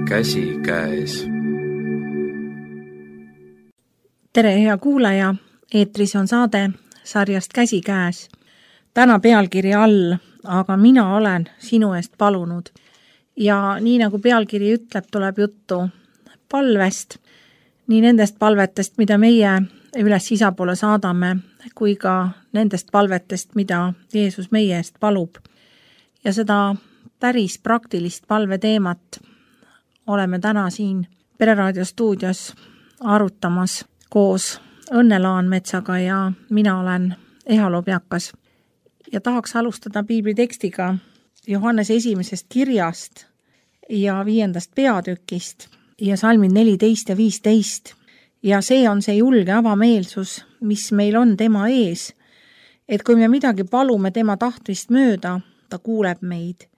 käsikäes. Tere, hea kuulaja! Eetris on saade sarjast Käsikäes. Täna pealkiri all, aga mina olen sinu eest palunud. Ja nii nagu pealkiri ütleb, tuleb juttu palvest, nii nendest palvetest, mida meie üles isa poole saadame, kui ka nendest palvetest, mida Jeesus meie eest palub. Ja seda päris praktilist palveteemat oleme täna siin Pereraadio stuudios arutamas koos Õnne Laanmetsaga ja mina olen Ehalo Pjakas. Ja tahaks alustada piiblitekstiga Johannese 1. kirjast ja 5. peatükist ja salmid 14 ja 15. Ja see on see julge avameelsus, mis meil on tema ees, et kui me midagi palume tema tahtmist mööda, ta kuuleb meid.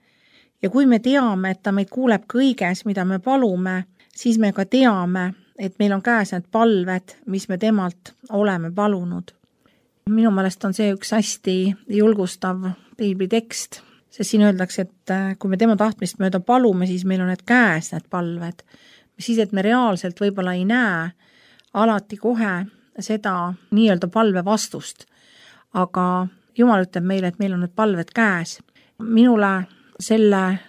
Ja kui me teame, et ta meid kuuleb kõiges, mida me palume, siis me ka teame, et meil on käes need palved, mis me temalt oleme palunud. Minu meelest on see üks hästi julgustav piiblitekst, sest siin öeldakse, et kui me tema tahtmist mööda palume, siis meil on need käes need palved. Siis, et me reaalselt võib-olla ei näe alati kohe seda nii-öelda palve vastust. Aga Jumal ütleb meile, et meil on need palved käes. Minule selle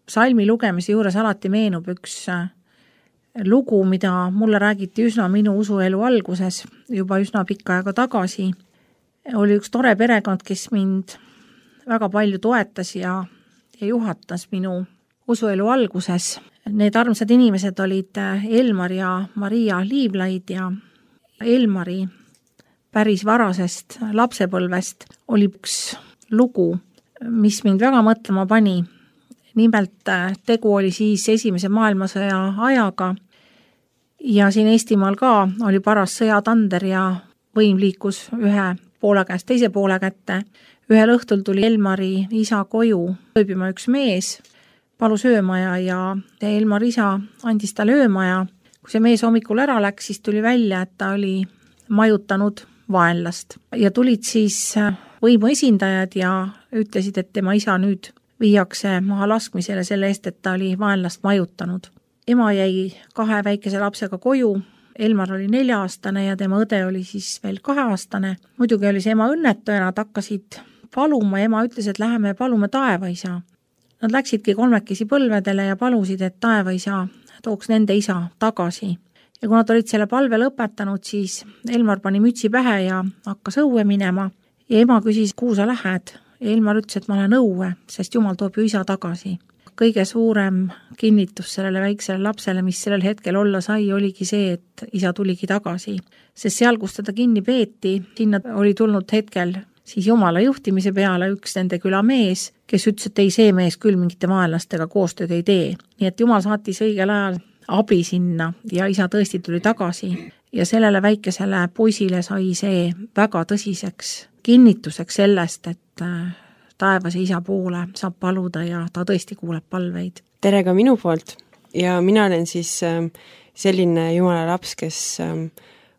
salmi lugemise juures alati meenub üks lugu, mida mulle räägiti üsna minu usuelu alguses, juba üsna pikka aega tagasi. Oli üks tore perekond, kes mind väga palju toetas ja juhatas minu usuelu alguses. Need armsad inimesed olid Elmar ja Maria Liivlaid ja Elmari päris varasest lapsepõlvest oli üks lugu, mis mind väga mõtlema pani. Nimelt tegu oli siis Esimese maailmasõja ajaga ja siin Eestimaal ka oli paras sõjatander ja võim liikus ühe poole käest teise poole kätte. Ühel õhtul tuli Elmari isa koju ööbima üks mees, palus öömaja ja Elmari isa andis talle öömaja. Kui see mees hommikul ära läks, siis tuli välja, et ta oli majutanud vaenlast. Ja tulid siis võimu esindajad ja ütlesid, et tema isa nüüd viiakse maha laskmisele selle eest, et ta oli vaenlast majutanud. Ema jäi 2 väikese lapsega koju, Elmar oli 4-aastane ja tema õde oli siis veel 2-aastane. Muidugi oli see ema õnnetu ja nad hakkasid paluma. Ema ütles, et läheme palume taevaisa. Nad läksidki 3 põlvedele ja palusid, et taevaisa tooks nende isa tagasi. Ja kui nad olid selle palve lõpetanud, siis Elmar pani mütsi pähe ja hakkas õue minema. Ja ema küsis, kuhu sa lähed? Ja Elmar ütles, et ma olen õue, sest Jumal toob ju isa tagasi. Kõige suurem kinnitus sellele väiksele lapsele, mis sellel hetkel olla sai, oligi see, et isa tuligi tagasi. Sest seal, kus teda kinni peeti, sinna oli tulnud hetkel siis Jumala juhtimise peale üks nende küla mees, kes ütles, et ei, see mees küll mingite vaenlastega koostööd ei tee. Nii et Jumal saatis õigel ajal abi sinna ja isa tõesti tuli tagasi. Ja sellele väikesele poisile sai see väga tõsiseks kinnituseks sellest, et taevase isa poole saab paluda ja ta tõesti kuuleb palveid. Tere ka minu poolt ja mina olen siis selline Jumala laps, kes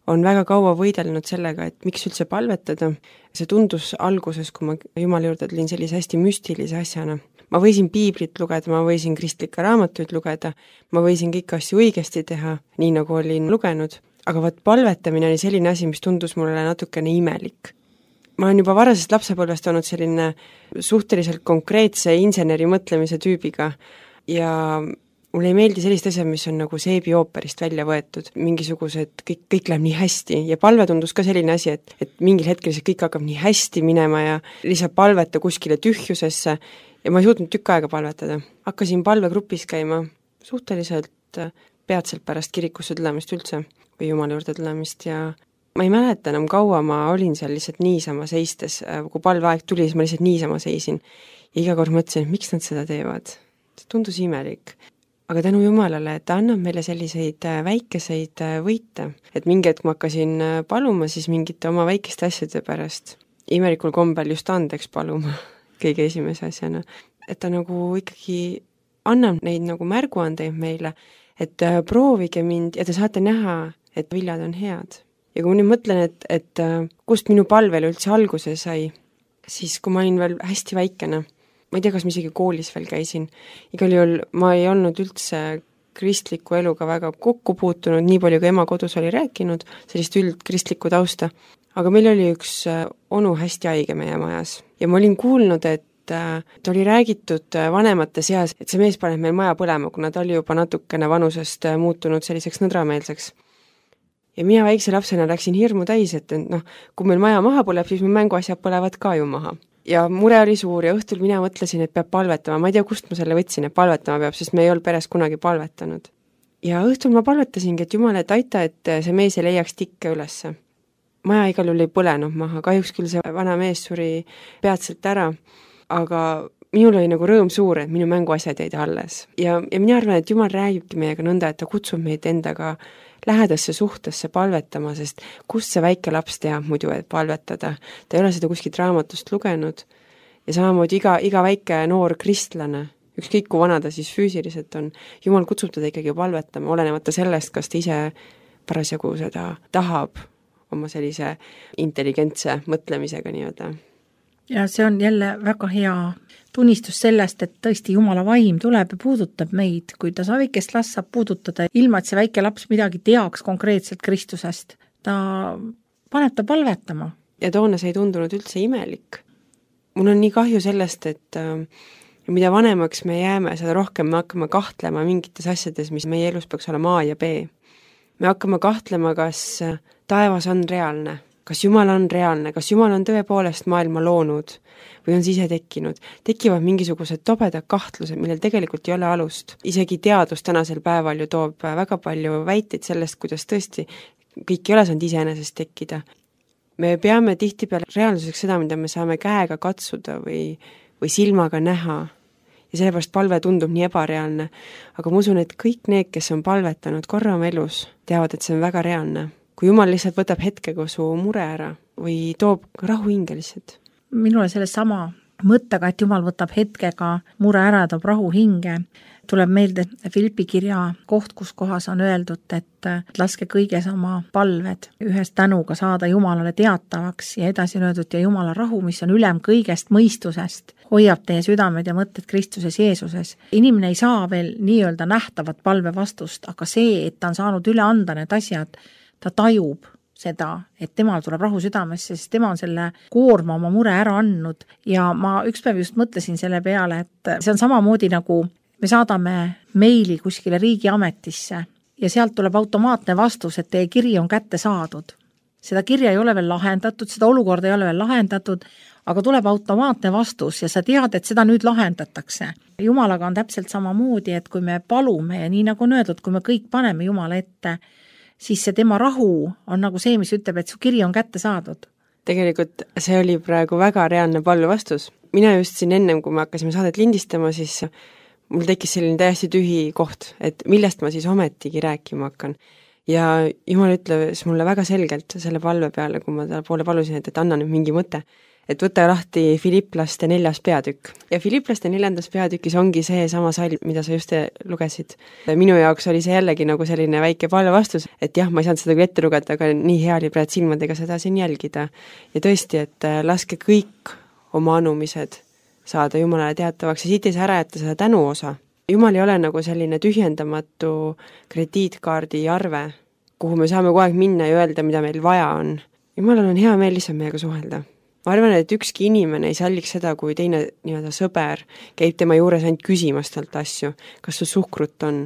on väga kaua võidelnud sellega, et miks üldse palvetada. See tundus alguses, kui ma Jumala juurde tulin sellise hästi müstilise asjana. Ma võisin piiblit lugeda, ma võisin kristlikke raamatuid lugeda, ma võisin kõiki asju õigesti teha, nii nagu olin lugenud, aga palvetamine oli selline asi, mis tundus mulle natukene imelik. Ma olen juba varasest lapsepõlvest olnud selline suhteliselt konkreetse inseneri mõtlemise tüübiga ja mulle ei meeldi sellist asja, mis on nagu seebi ooperist välja võetud, mingisugused, kõik läheb nii hästi ja palve tundus ka selline asi, et mingil hetkel see kõik hakkab nii hästi minema ja lihtsalt palveta kuskile tühjusesse ja ma ei suutnud tükk aega palvetada. Hakkasin palvegrupis käima suhteliselt peatselt pärast kirikusse tulemist üldse või Jumala juurde tulemist ja ma ei mäleta enam kaua, ma olin seal lihtsalt niisama seistes, kui palveaeg tuli, siis ma lihtsalt niisama seisin ja iga kord mõtlesin, et miks nad seda teevad. See tundus imelik. Aga tänu Jumalale, et ta annab meile selliseid väikeseid võite, et mingi hetk ma hakkasin paluma siis mingite oma väikeste asjade pärast. Imelikul kombel just andeks paluma kõige esimese asjana. Et ta nagu ikkagi annab neid nagu märguandeid meile, et proovige mind ja te saate näha, et viljad on head. Ja kui ma nüüd mõtlen, et kust minu palvel üldse alguse sai, siis kui ma olin veel hästi väikene, ma ei tea, kas ma isegi koolis veel käisin, igal juhul ma ei olnud üldse kristliku eluga väga kokku puutunud, nii palju kui ema kodus oli rääkinud, sellist üldkristlikku tausta. Aga meil oli üks onu hästi haige meie majas ja ma olin kuulnud, et oli räägitud vanemate seas, et see mees paneb meil maja põlema, kuna ta oli juba natukene vanusest muutunud selliseks nõdrameelseks. Ja mina väikse lapsena läksin hirmu täis, et kui meil maja maha põleb, siis mu mänguasjad põlevad ka ju maha. Ja mure oli suur ja õhtul mina mõtlesin, et peab palvetama, ma ei tea, kust ma selle võtsin, et palvetama peab, sest me ei olnud peres kunagi palvetanud. Ja õhtul ma palvetasingi, et Jumal, et aita, et see mees ei leiaks tikke ülesse. Maja igal juhul ei põlenud maha, kahjuks küll see vana mees suri peatselt ära, aga minul oli nagu rõõm suur, et minu mänguasjad jäid alles. Ja mina arvan, et Jumal räägibki meiega nõnda, et ta kutsub meid endaga lähedasse suhtesse palvetama, sest kust see väike laps teab muidu, et palvetada. Ta ei ole seda kuskilt raamatust lugenud ja samamoodi iga väike noor kristlane, ükskõik kui vana ta siis füüsiliselt on, Jumal kutsub teda ikkagi palvetama, olenemata sellest, kas ta ise parasjagu seda tahab oma sellise intelligentse mõtlemisega nii-öelda. Ja see on jälle väga hea tunnistus sellest, et tõesti Jumala vaim tuleb ja puudutab meid, kui ta väikest last saab puudutada, ilma et see väike laps midagi teaks konkreetselt Kristusest. Ta paneb ta palvetama. Ja toona see ei tundunud üldse imelik. Mul on nii kahju sellest, et mida vanemaks me jääme, seda rohkem me hakkame kahtlema mingites asjades, mis meie elus peaks olema A ja B. Me hakkame kahtlema, kas taevas on reaalne, kas Jumal on reaalne, kas Jumal on tõepoolest maailma loonud või on ise tekkinud. Tekivad mingisugused tobedad kahtlused, millel tegelikult ei ole alust. Isegi teadus tänasel päeval ju toob väga palju väiteid sellest, kuidas tõesti kõik ei ole saanud iseenesest tekkida. Me peame tihtipeale reaalsuseks seda, mida me saame käega katsuda või silmaga näha. Ja sellepärast palve tundub nii ebareaalne. Aga ma usun, et kõik need, kes on palvetanud korra oma elus, teavad, et see on väga reaalne. Kui Jumal lihtsalt võtab hetkega su mure ära või toob rahu hinge lihtsalt. Minule selle sama mõttega, et Jumal võtab hetkega mure ära ja toob rahu hinge, tuleb meelde Filippi kirja koht, kus kohas on öeldud, et laske kõiges oma palved ühes tänuga saada Jumalale teatavaks ja edasi on öeldud ja Jumala rahu, mis on ülem kõigest mõistusest, hoiab teie südamed ja mõtted Kristuses Jeesuses. Inimene ei saa veel nii-öelda nähtavat palve vastust, aga see, et ta on saanud üle anda need asjad, ta tajub seda, et temal tuleb rahu südamesse, sest tema on selle koorma oma mure ära andnud ja ma ükspäev just mõtlesin selle peale, et see on samamoodi nagu me saadame meili kuskile riigiametisse ja sealt tuleb automaatne vastus, et teie kiri on kätte saadud. Seda kirja ei ole veel lahendatud, seda olukorda ei ole veel lahendatud, aga tuleb automaatne vastus ja sa tead, et seda nüüd lahendatakse. Jumalaga on täpselt samamoodi, et kui me palume ja nii nagu on öeldud, kui me kõik paneme Jumala ette, siis see tema rahu on nagu see, mis ütleb, et su kiri on kätte saadud. Tegelikult see oli praegu väga reaalne palve vastus. Mina just siin ennem, kui me hakkasime saadet lindistama, siis mul tekkis selline täiesti tühi koht, et millest ma siis ometigi rääkima hakkan. Ja Jumal ütles mulle väga selgelt selle palve peale, kui ma talle poole palusin, et anna nüüd mingi mõte, et võta lahti Filipplaste 4. peatükk. Ja Filipplaste 4. peatükis ongi see sama salm, mida sa just lugesid. Minu jaoks oli see jällegi nagu selline väike palve vastus, et jah, ma ei saanud seda küll ette lugeda, aga nii hea oli praegu silmadega seda siin jälgida. Ja tõesti, et laske kõik oma anumised saada Jumalale teatavaks ja siit ei saa ära jätta seda tänu osa. Jumal ei ole nagu selline tühjendamatu krediitkaardi arve, kuhu me saame kogu aeg minna ja öelda, mida meil vaja on. Jumalal on hea meel lihtsalt meiega suhelda. Ma arvan, et ükski inimene ei salliks seda, kui teine nii-öelda sõber käib tema juures ainult küsimas talt asju. Kas sul suhkrut on?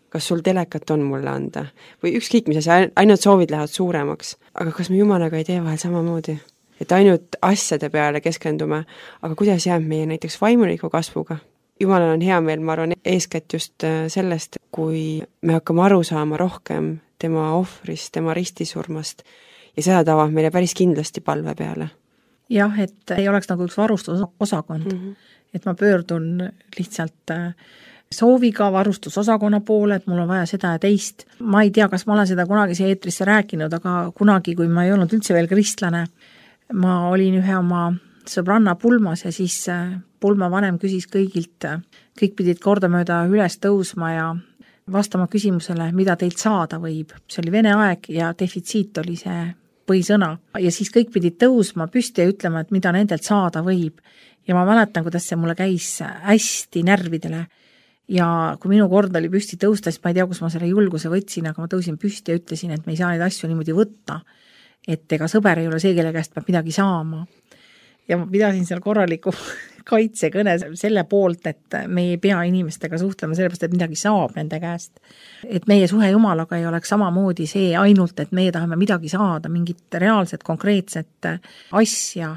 Kas sul telekat on mulle anda? Või ükskõik, mis asja, ainult soovid lähevad suuremaks. Aga kas me Jumalaga ei tee vahel samamoodi? Et ainult asjade peale keskendume, aga kuidas jääb meie näiteks vaimuliku kasvuga? Jumalal on hea meel, ma arvan, eeskätt just sellest, kui me hakkame aru saama rohkem tema ohvrist, tema ristisurmast ja seda tavab meile päris kindlasti palve peale. Jah, et ei oleks nagu üks varustusosakond, et ma pöördun lihtsalt sooviga varustusosakonna poole, et mul on vaja seda ja teist. Ma ei tea, kas ma olen seda kunagi siia eetrisse rääkinud, aga kunagi, kui ma ei olnud üldse veel kristlane, ma olin ühe oma sõbranna pulmas ja siis pulma vanem küsis kõigilt, kõik pidid kordamööda üles tõusma ja vastama küsimusele, mida teilt saada võib. See oli vene aeg ja defitsiit oli see põhisõna. Ja siis kõik pidid tõusma püsti ja ütlema, et mida nendelt saada võib. Ja ma mäletan, kuidas see mulle käis hästi närvidele. ja kui minu kord oli püsti tõusta, siis ma ei tea, kus ma selle julguse võtsin, aga ma tõusin püsti ja ütlesin, et me ei saa neid asju niimoodi võtta, et ega sõber ei ole see, kelle käest peab midagi saama. Ja ma pidasin seal korraliku kaitsekõne selle poolt, et me ei pea inimestega suhtlema sellepärast, et midagi saab nende käest. Et meie suhe Jumalaga ei oleks samamoodi see ainult, et meie tahame midagi saada, mingit reaalset, konkreetset asja,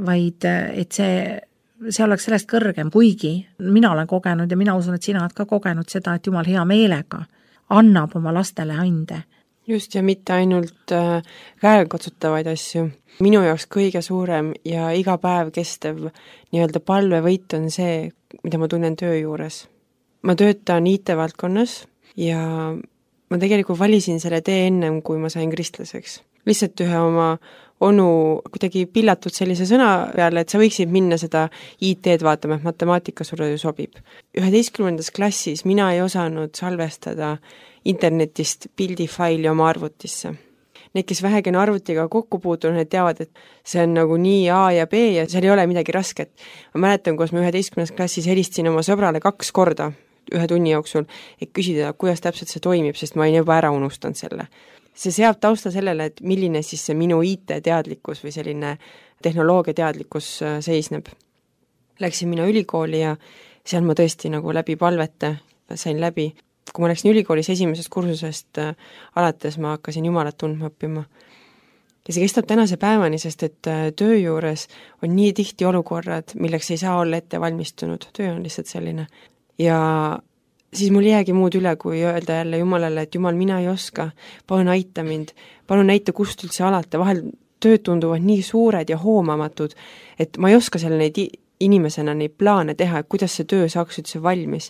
vaid et see oleks sellest kõrgem, kuigi mina olen kogenud ja mina usun, et sina oled ka kogenud seda, et Jumal hea meelega annab oma lastele ande. Just, ja mitte ainult käekotsutavaid asju. Minu jaoks kõige suurem ja iga päev kestev nii-öelda palvevõit on see, mida ma tunnen töö juures. Ma töötan IT-valdkonnas ja ma tegelikult valisin selle tee ennem, kui ma sain kristlaseks. Lihtsalt ühe oma onu kuidagi pillatud sellise sõna peale, et sa võiksid minna seda IT-d vaatama, et matemaatika sulle ju sobib. 11. klassis mina ei osanud salvestada internetist pildifaili oma arvutisse. Need, kes vähegi on arvutiga kokku puutunud, need teavad, et see on nagu nii A ja B ja seal ei ole midagi rasket. Ma mäletan, kus ma 11. klassis helistasin oma sõbrale 2 korda 1 tunni jooksul, et küsida, kuidas täpselt see toimib, sest ma olin juba ära unustanud selle. See seab tausta sellele, et milline siis see minu IT-teadlikkus või selline tehnoloogia-teadlikkus seisneb. Läksin mina ülikooli ja seal ma tõesti nagu läbi palvete sain läbi. Kui ma läksin ülikoolis esimesest kursusest alates, ma hakkasin Jumalat tundma õppima. Ja see kestab tänase päevani, sest et töö juures on nii tihti olukorrad, milleks ei saa olla ette valmistunud. Töö on lihtsalt selline. Ja siis mul jäägi muud üle, kui öelda jälle Jumalale, et Jumal, mina ei oska, palun aita mind, palun näita, kust üldse alata, vahel tööd tunduvad nii suured ja hoomamatud, et ma ei oska selle neid inimesena neid plaane teha, et kuidas see töö saaks üldse valmis.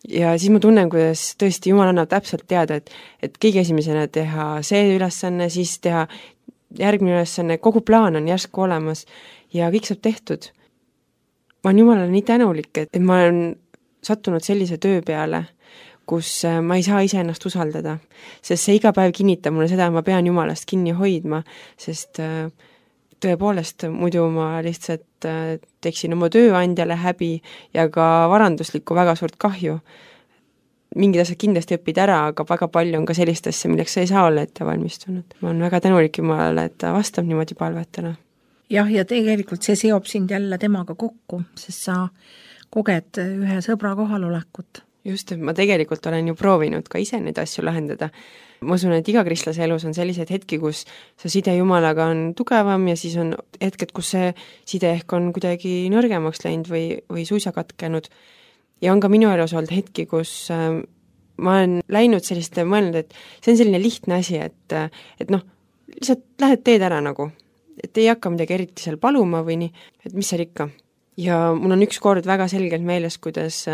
Ja siis ma tunnen, kuidas tõesti Jumal annab täpselt teada, et kõige esimesena teha see ülesanne, siis teha järgmine ülesanne, kogu plaan on järsku olemas ja kõik saab tehtud. Ma olen Jumalale nii tänulik, et ma olen sattunud sellise töö peale, kus ma ei saa ise ennast usaldada, sest see iga päev kinnitab mulle seda, et ma pean Jumalast kinni hoidma, sest tõepoolest muidu ma lihtsalt teeksin oma tööandjale häbi ja ka varanduslikku väga suurt kahju. Mingid asjad kindlasti õpid ära, aga väga palju on ka sellist asja, milleks sa ei saa olla ette valmistunud. Ma olen väga tänulik Jumalale, et ta vastab niimoodi palvetele. Jah, ja tegelikult see seob sind jälle temaga kokku, sest sa koged ühe sõbra kohalolekut. Just, et ma tegelikult olen ju proovinud ka ise neid asju lahendada. Ma usun, et iga kristlase elus on sellised hetki, kus see side Jumalaga on tugevam ja siis on hetked, kus see side ehk on kuidagi nõrgemaks läinud või suisa katkenud. Ja on ka minu elus olnud hetki, kus ma olen läinud selliste mõelnud, et see on selline lihtne asi, et noh, lihtsalt lähed teed ära nagu, et ei hakka midagi eriti seal paluma või nii, et mis seal ikka. Ja mul on üks kord väga selgelt meeles, kuidas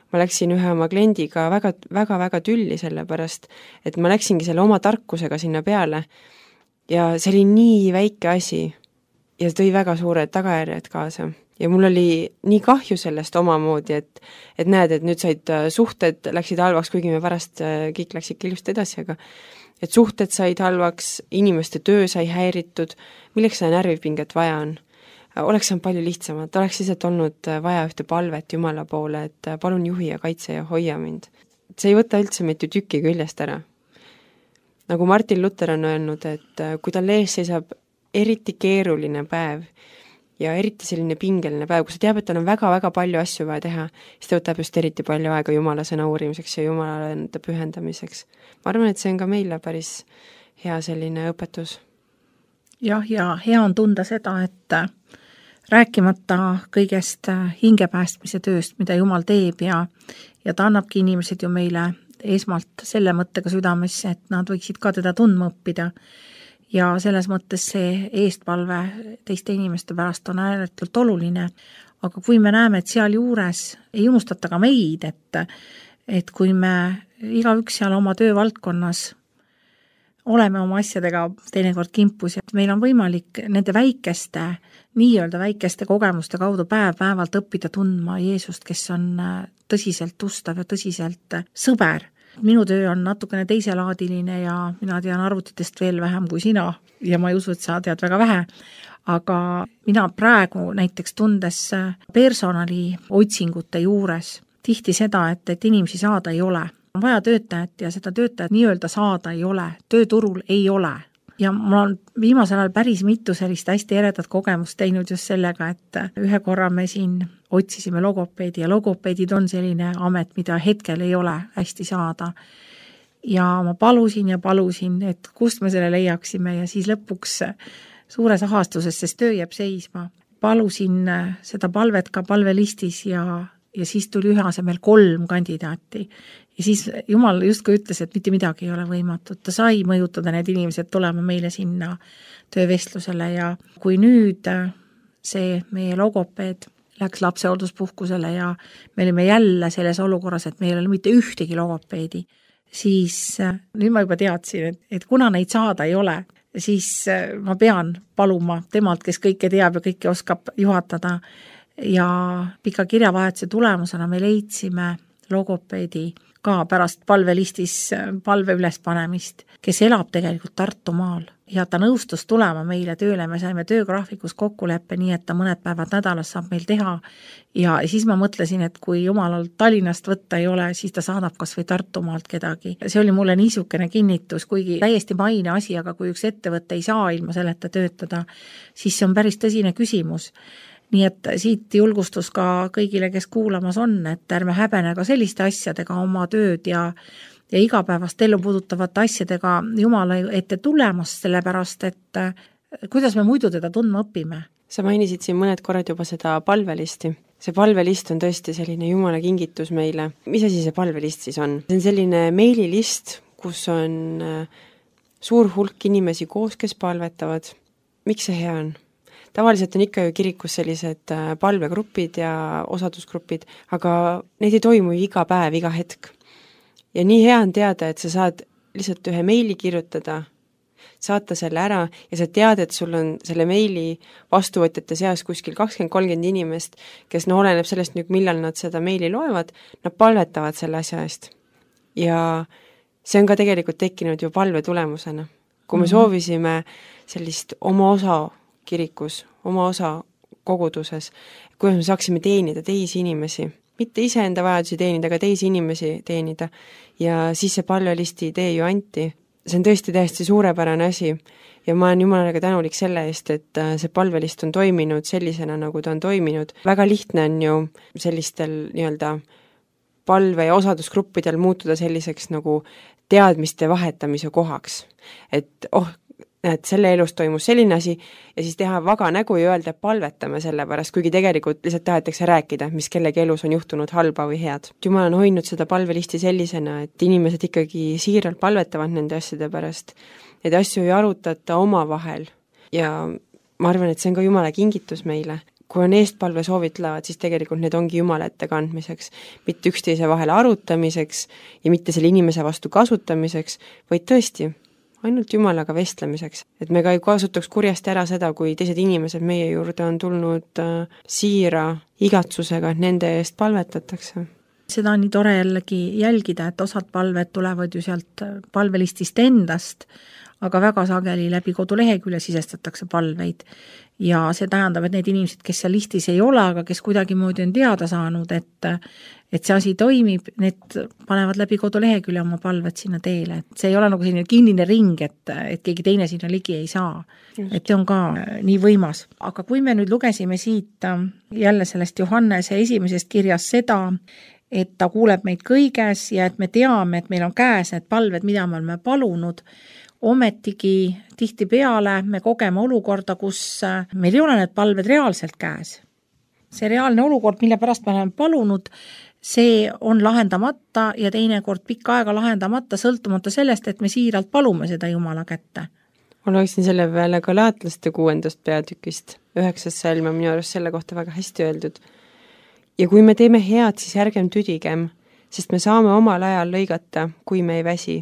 ma läksin ühe oma kliendiga väga tülli sellepärast, et ma läksingi selle oma tarkusega sinna peale ja see oli nii väike asi ja tõi väga suured tagajärjed kaasa. Ja mul oli nii kahju sellest omamoodi, et näed, et nüüd said suhted läksid halvaks, kuigi me pärast kõik läksid ilusti edasi, aga et suhted said halvaks, inimeste töö sai häiritud, milleks seda närvipinget vaja on. Oleks on palju lihtsamalt, oleks lihtsalt olnud vaja ühte palvet Jumala poole, et palun juhi ja kaitse ja hoia mind. See ei võta üldse meid ju tüki küljest ära. Nagu Martin Luther on öelnud, et kui tal ees seisab eriti keeruline päev ja eriti selline pingeline päev, kus ta teab, et tal on väga palju asju vaja teha, siis ta võtab just eriti palju aega Jumala sõna uurimiseks ja Jumala enda pühendamiseks. Ma arvan, et see on ka meile päris hea selline õpetus. Jah, ja hea on tunda seda, et rääkimata kõigest hingepäästmise tööst, mida Jumal teeb ja ta annabki inimesed ju meile esmalt selle mõttega südamesse, et nad võiksid ka teda tundma õppida. Ja selles mõttes see eestpalve teiste inimeste pärast on ääretult oluline. Aga kui me näeme, et seal juures ei unustata ka meid, et kui me igaüks seal oma töövaldkonnas oleme oma asjadega teinekord kimpus ja meil on võimalik nende nii-öelda väikeste kogemuste kaudu päev-päevalt õppida tundma Jeesust, kes on tõsiselt ustav ja tõsiselt sõber. Minu töö on natukene teiselaadiline ja mina tean arvutitest veel vähem kui sina ja ma ei usu, et sa tead väga vähe. Aga mina praegu näiteks tundes personali otsingute juures tihti seda, et inimesi saada ei ole. On vaja töötajat ja seda töötajat nii-öelda saada ei ole, tööturul ei ole. Ja mul on viimasel ajal päris mitu sellist hästi eredat kogemust teinud just sellega, et ühe korra me siin otsisime logopeedi ja logopeedid on selline amet, mida hetkel ei ole hästi saada. Ja ma palusin, et kust me selle leiaksime ja siis lõpuks suures ahastuses, sest töö jääb seisma. Palusin seda palvet ka palvelistis ja siis tuli ühe asemel 3 kandidaati. Ja siis Jumal justkui ütles, et mitte midagi ei ole võimatut. Ta sai mõjutada need inimesed tulema meile sinna töövestlusele ja kui nüüd see meie logopeed läks lapsehoolduspuhkusele ja me olime jälle selles olukorras, et meil ei ole mitte ühtegi logopeedi, siis nüüd ma juba teadsin, et kuna neid saada ei ole, siis ma pean paluma temalt, kes kõike teab ja kõike oskab juhatada ja pika kirjavahetuse tulemusena me leidsime logopeedi ka pärast palvelistis palve ülespanemist, kes elab tegelikult Tartumaal ja ta nõustus tulema meile tööle, me saime töögraafikus kokkuleppe nii, et ta mõned päevad nädalas saab meil teha ja siis ma mõtlesin, et kui Jumalal Tallinnast võtta ei ole, siis ta saadab kas või Tartumaalt kedagi. See oli mulle niisugune kinnitus, kuigi täiesti maine asi, aga kui üks ettevõte ei saa ilma selleta töötada, siis see on päris tõsine küsimus. Nii et siit julgustus ka kõigile, kes kuulamas on, et ärme häbene ka selliste asjadega oma tööd ja igapäevast ellu puudutavate asjadega Jumala ette tulemas, sellepärast, et kuidas me muidu teda tundma õpime. Sa mainisid siin mõned korrad juba seda palvelisti. See palvelist on tõesti selline Jumala kingitus meile. Mis asi see palvelist siis on? See on selline meililist, kus on suur hulk inimesi koos, kes palvetavad. Miks see hea on? Tavaliselt on ikka ju kirikus sellised palvegrupid ja osadusgrupid, aga neid ei toimu iga päev, iga hetk. Ja nii hea on teada, et sa saad lihtsalt ühe meili kirjutada, saata selle ära ja sa tead, et sul on selle meili vastuvõtjate seas kuskil 20-30 inimest, kes oleneb sellest nüüd, millal nad seda meili loevad, nad palvetavad selle asja eest. Ja see on ka tegelikult tekkinud ju palve tulemusena. Kui me soovisime sellist oma osa kirikus, oma osa koguduses, kuidas me saaksime teenida teisi inimesi, mitte iseenda vajadusi teenida, aga teisi inimesi teenida. Ja siis see palvelisti idee ju anti. See on tõesti täiesti suurepärane asi ja ma olen Jumalaga tänulik selle eest, et see palvelist on toiminud sellisena, nagu ta on toiminud. Väga lihtne on ju sellistel nii-öelda palve- ja osadusgruppidel muutuda selliseks nagu teadmiste vahetamise kohaks. Et et selle elus toimus selline asi ja siis teha vaga nägu ja öelda, et palvetame selle pärast, kuigi tegelikult lihtsalt tahetakse rääkida, mis kellegi elus on juhtunud halba või head. Jumal on hoidnud seda palvelisti sellisena, et inimesed ikkagi siiralt palvetavad nende asjade pärast. Need asju ei arutata omavahel ja ma arvan, et see on ka Jumala kingitus meile. Kui on eestpalve soovitlevad, siis tegelikult need ongi Jumala ette kandmiseks, mitte üksteise vahel arutamiseks ja mitte selle inimese vastu kasutamiseks, vaid tõesti ainult Jumalaga vestlemiseks. Et me ka ei kasutaks kurjasti ära seda, kui teised inimesed meie juurde on tulnud siira igatsusega, et nende eest palvetatakse. Seda on nii tore jällegi jälgida, et osad palved tulevad ju sealt palvelistist endast, aga väga sageli läbi kodulehekülje sisestatakse palveid. Ja see tähendab, et need inimesed, kes seal listis ei ole, aga kes kuidagi moodi on teada saanud, et see asi toimib, need panevad läbi kodulehekülje oma palved sinna teele. Et see ei ole nagu selline kinnine ring, et keegi teine sinna ligi ei saa. Et see on ka nii võimas. Aga kui me nüüd lugesime siit jälle sellest Johannese esimesest kirjas seda, et ta kuuleb meid kõiges ja et me teame, et meil on käes need palved, mida me oleme palunud, ometigi tihtipeale me kogeme olukorda, kus meil ei ole need palved reaalselt käes. See reaalne olukord, mille pärast me oleme palunud, see on lahendamata ja teinekord pikka aega lahendamata, sõltumata sellest, et me siiralt palume seda Jumala kätte. Ma loeksin selle peale Galaatlaste 6. peatükist, 9. salm on minu arust selle kohta väga hästi öeldud. Ja kui me teeme head, siis ärgem tüdigem, sest me saame omal ajal lõigata, kui me ei väsi.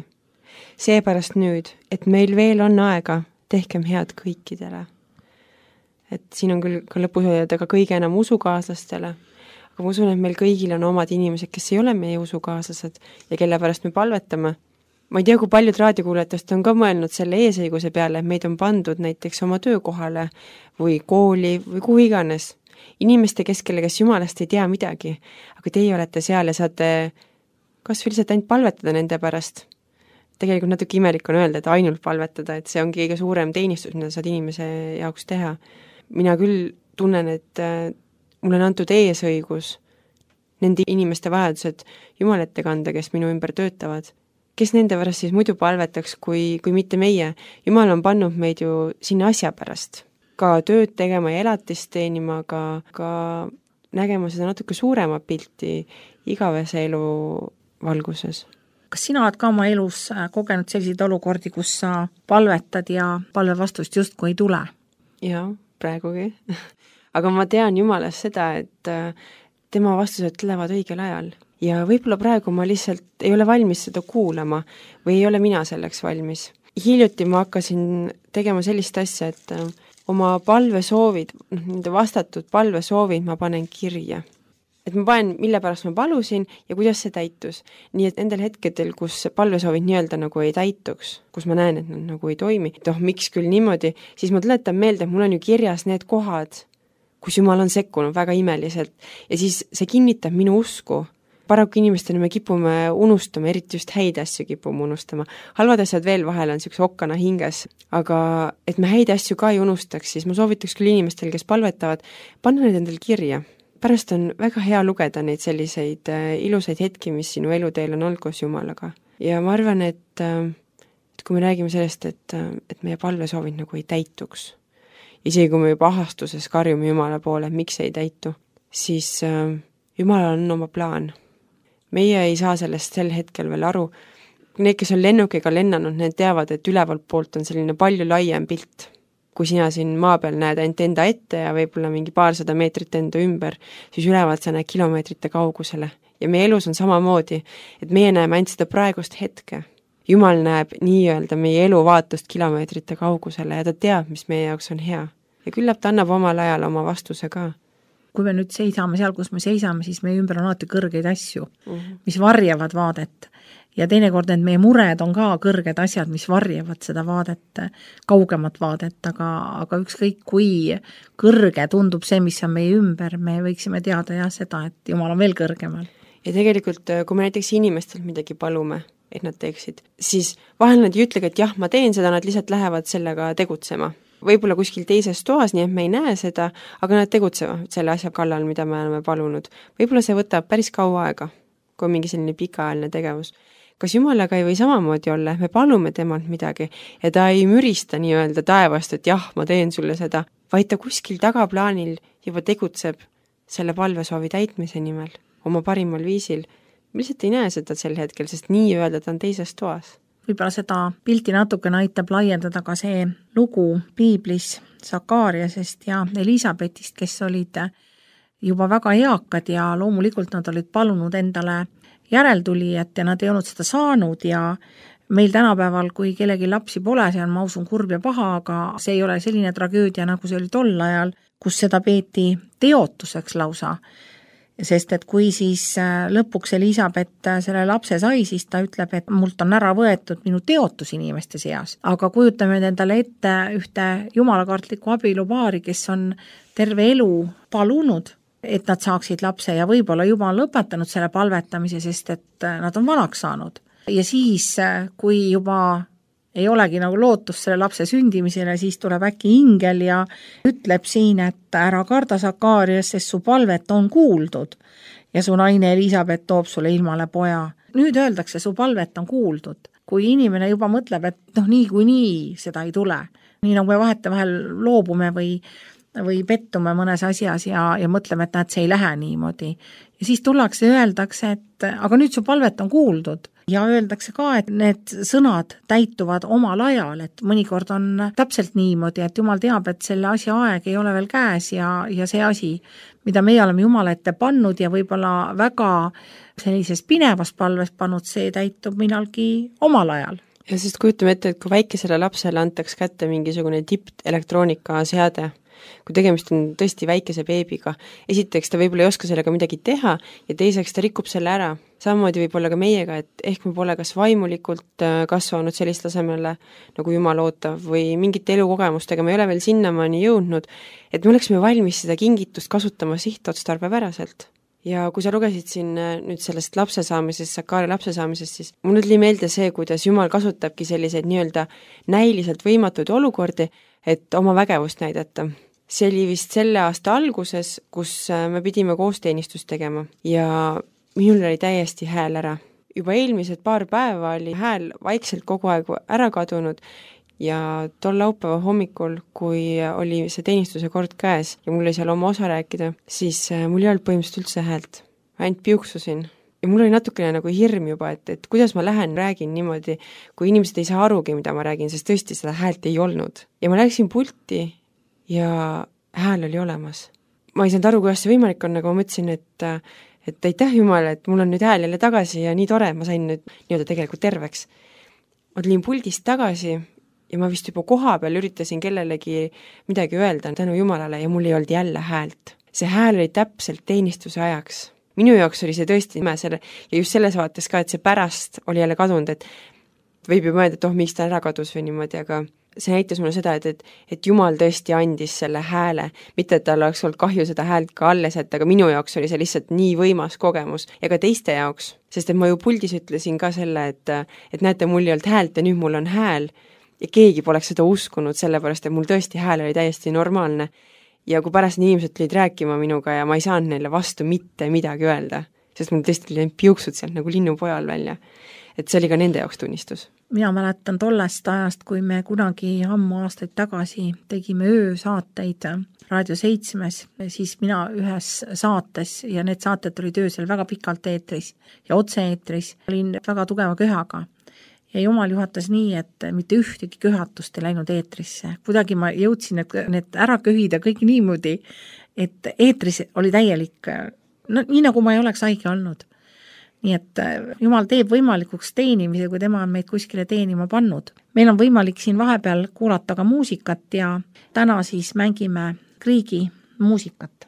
Seepärast nüüd, et meil veel on aega, tehkem head kõikidele. Et siin on küll ka lõpus öelda ka kõige enam usukaaslastele, aga ma usun, et meil kõigil on omad inimesed, kes ei ole meie usukaaslased ja kelle pärast me palvetame. Ma ei tea, kui paljud raadiokuulajatest on ka mõelnud selle eesõiguse peale, et meid on pandud näiteks oma töökohale või kooli või kuhu iganes. inimeste keskele, kes Jumalast ei tea midagi, aga teie olete seal ja saate kas või lihtsalt ainult palvetada nende pärast. Tegelikult natuke imelik on öelda, et ainult palvetada, et see ongi kõige suurem teenistus, mida saad inimese jaoks teha. Mina küll tunnen, et mulle on antud eesõigus nende inimeste vajadused Jumal ette kanda, kes minu ümber töötavad. Kes nende pärast siis muidu palvetaks, kui mitte meie? Jumal on pannud meid ju sinna asja pärast. Ka tööd tegema ja elatist teenima, ka nägema seda natuke suurema pilti igavese elu valguses. Kas sina oled ka oma elus kogenud selliseid olukordi, kus sa palvetad ja palve vastust justkui ei tule? Jaa, praegugi. Aga ma tean Jumalast seda, et tema vastused tulevad õigel ajal. Ja võib-olla praegu ma lihtsalt ei ole valmis seda kuulama või ei ole mina selleks valmis. Hiljuti ma hakkasin tegema sellist asja, et oma palvesoovid, nende vastatud palvesoovid ma panen kirja. Et ma panen, mille pärast ma palusin ja kuidas see täitus. Nii et nendel hetkedel, kus palvesoovid nii-öelda nagu ei täituks, kus ma näen, et nad nagu ei toimi, miks küll niimoodi, siis ma tuletan meelde, et mul on ju kirjas need kohad, kus Jumal on sekkunud väga imeliselt ja siis see kinnitab minu usku. Paraku inimestena me kipume unustama, eriti just häid asju kipume unustama. Halvad asjad veel vahel on niisuguse okkana hinges, aga et me häid asju ka ei unustaks, siis ma soovitaks küll inimestel, kes palvetavad, panna need endal kirja. Pärast on väga hea lugeda neid selliseid ilusaid hetki, mis sinu eluteel on olnud koos Jumalaga. Ja ma arvan, et kui me räägime sellest, et meie palvesoovid nagu ei täituks, isegi kui me juba ahastuses karjume Jumala poole, miks ei täitu, siis Jumalal on oma plaan. Meie ei saa sellest sel hetkel veel aru. Need, kes on lennukiga lennanud, need teavad, et ülevalt poolt on selline palju laiem pilt. Kui sina siin maa peal näed ainult enda ette ja võib-olla mingi 200 meetrit enda ümber, siis ülevalt sa näed kilomeetrite kaugusele. Ja meie elus on samamoodi, et meie näeme ainult seda praegust hetke. Jumal näeb nii-öelda meie elu vaatust kilomeetrite kaugusele ja ta teab, mis meie jaoks on hea. Ja küllap ta annab omal ajal oma vastuse ka. Kui me nüüd seisame seal, kus me seisame, siis meie ümber on alati kõrgeid asju, mis varjavad vaadet. Ja teinekord need meie mured on ka kõrged asjad, mis varjavad seda vaadet, kaugemat vaadet, aga ükskõik kui kõrge tundub see, mis on meie ümber, me võiksime teada ja seda, et Jumal on veel kõrgemal. Ja tegelikult, kui me näiteks inimestelt midagi palume, et nad teeksid, siis vahel nad ei ütlegi, et jah, ma teen seda, nad lihtsalt lähevad sellega tegutsema. Võib-olla kuskil teises toas, nii et me ei näe seda, aga nad tegutsevad selle asja kallal, mida me oleme palunud. Võib-olla see võtab päris kaua aega, kui on mingi selline pikaajaline tegevus. Kas Jumalaga ei või samamoodi olla, me palume temalt midagi ja ta ei mürista nii-öelda taevast, et jah, ma teen sulle seda, vaid ta kuskil tagaplaanil juba tegutseb selle palvesoovi täitmise nimel, oma parimal viisil. Me lihtsalt ei näe seda sel hetkel, sest nii-öelda ta on teises toas. Võib-olla seda pilti natukene aitab laiendada ka see lugu piiblis Sakaariasest ja Elisabetist, kes olid juba väga eakad ja loomulikult nad olid palunud endale järeltulijat ja nad ei olnud seda saanud ja meil tänapäeval, kui kellegi lapsi pole, see on, ma usun, kurb ja paha, aga see ei ole selline tragöödia, nagu see oli tol ajal, kus seda peeti teotuseks lausa. Sest et kui siis lõpuks Elisabet selle lapse sai, siis ta ütleb, et mult on ära võetud minu teotus inimeste seas. Aga kujutame endale ette ühte jumalakartlikku abielupaari, kes on terve elu palunud, et nad saaksid lapse ja võib-olla juba on lõpetanud selle palvetamise, sest et nad on vanaks saanud. Ja siis, kui juba ei olegi nagu lootus selle lapse sündimisele, siis tuleb äkki ingel ja ütleb siin, et ära karda Sakaarias, sest su palvet on kuuldud ja su naine Elisabet toob sulle ilmale poja. Nüüd öeldakse, su palvet on kuuldud. Kui inimene juba mõtleb, et nii seda ei tule, nii nagu me vahetevahel loobume või pettume mõnes asjas ja mõtleme, et see ei lähe niimoodi. Ja siis tullakse ja öeldakse, et aga nüüd su palvet on kuuldud. Ja öeldakse ka, et need sõnad täituvad omal ajal, et mõnikord on täpselt niimoodi, et Jumal teab, et selle asja aeg ei ole veel käes ja see asi, mida meie oleme Jumala ette pannud ja võib-olla väga sellises pinevas palves pannud, see täitub millalgi omal ajal. Ja sest kujutame ette, et kui väikesele lapsele antaks kätte mingisugune tipelektroonika seade, kui tegemist on tõesti väikese beebiga. Esiteks ta võib-olla ei oska sellega midagi teha ja teiseks ta rikub selle ära. Samamoodi võib olla ka meiega, et ehk me pole kas vaimulikult kasvanud sellist tasemele, nagu Jumal ootab, või mingite elukogemustega me ei ole veel sinnamaani jõudnud, et me oleksime valmis seda kingitust kasutama sihtotstarbepäraselt. Ja kui sa lugesid siin nüüd sellest lapse saamisest, Sakari lapse saamisest, siis mul tuli meelde see, kuidas Jumal kasutabki selliseid nii-öelda näiliselt võimatuid olukordi, et oma vägevust näidata. See oli vist selle aasta alguses, kus me pidime koosteenistust tegema ja minul oli täiesti hääl ära. Juba eelmised paar päeva oli hääl vaikselt kogu aeg ära kadunud ja tol laupäeva hommikul, kui oli see teenistuse kord käes ja mul oli seal oma osa rääkida, siis mul ei olnud põhimõtteliselt üldse häält. Ainult piuksusin. Ja mul oli natukene nagu hirm juba, et kuidas ma lähen, räägin niimoodi, kui inimesed ei saa arugi, mida ma räägin, sest tõesti seda häält ei olnud. Ja ma läksin pulti ja hääl oli olemas. Ma ei saanud aru, kuidas see võimalik on, aga ma mõtlesin, et aitäh Jumal, et mul on nüüd hääl jälle tagasi ja nii tore, ma sain nüüd nii-öelda tegelikult terveks. Ma tulin puldist tagasi ja ma vist juba koha peal üritasin kellelegi midagi öelda tänu Jumalale ja mul ei olnud jälle häält. See hääl oli täpselt teenistuse ajaks. Minu jaoks oli see tõesti ime selle, ja just selles vaates ka, et see pärast oli jälle kadunud, et võib ju mõelda, et miks ta ära kadus või niimoodi, aga see näitas mulle seda, et Jumal tõesti andis selle hääle, mitte et tal oleks olnud kahju seda häält ka alles, et aga minu jaoks oli see lihtsalt nii võimas kogemus ja ka teiste jaoks, sest et ma ju puldis ütlesin ka selle, et näete, mul ei olnud häält ja nüüd mul on hääl ja keegi poleks seda uskunud, sellepärast et mul tõesti hääl oli täiesti normaalne. Ja kui pärast inimesed tulid rääkima minuga ja ma ei saanud neile vastu mitte midagi öelda, sest mul tõesti tulid piuksud sealt nagu linnupojal välja. Et see oli ka nende jaoks tunnistus. Mina mäletan tollest ajast, kui me kunagi ammu aastaid tagasi tegime öösaateid Raadio 7, siis mina ühes saates ja need saated olid öösel väga pikalt eetris ja otse-eetris olin väga tugeva köhaga. Ja Jumal juhatas nii, et mitte ühtegi köhatust ei läinud eetrisse. Kuidagi ma jõudsin need ära köhida kõik niimoodi, et eetris oli täielik, no, nii nagu ma ei oleks haige olnud. Nii et Jumal teeb võimalikuks teenimise, kui tema on meid kuskile teenima pannud. Meil on võimalik siin vahepeal kuulata ka muusikat ja täna siis mängime Kriigi muusikat.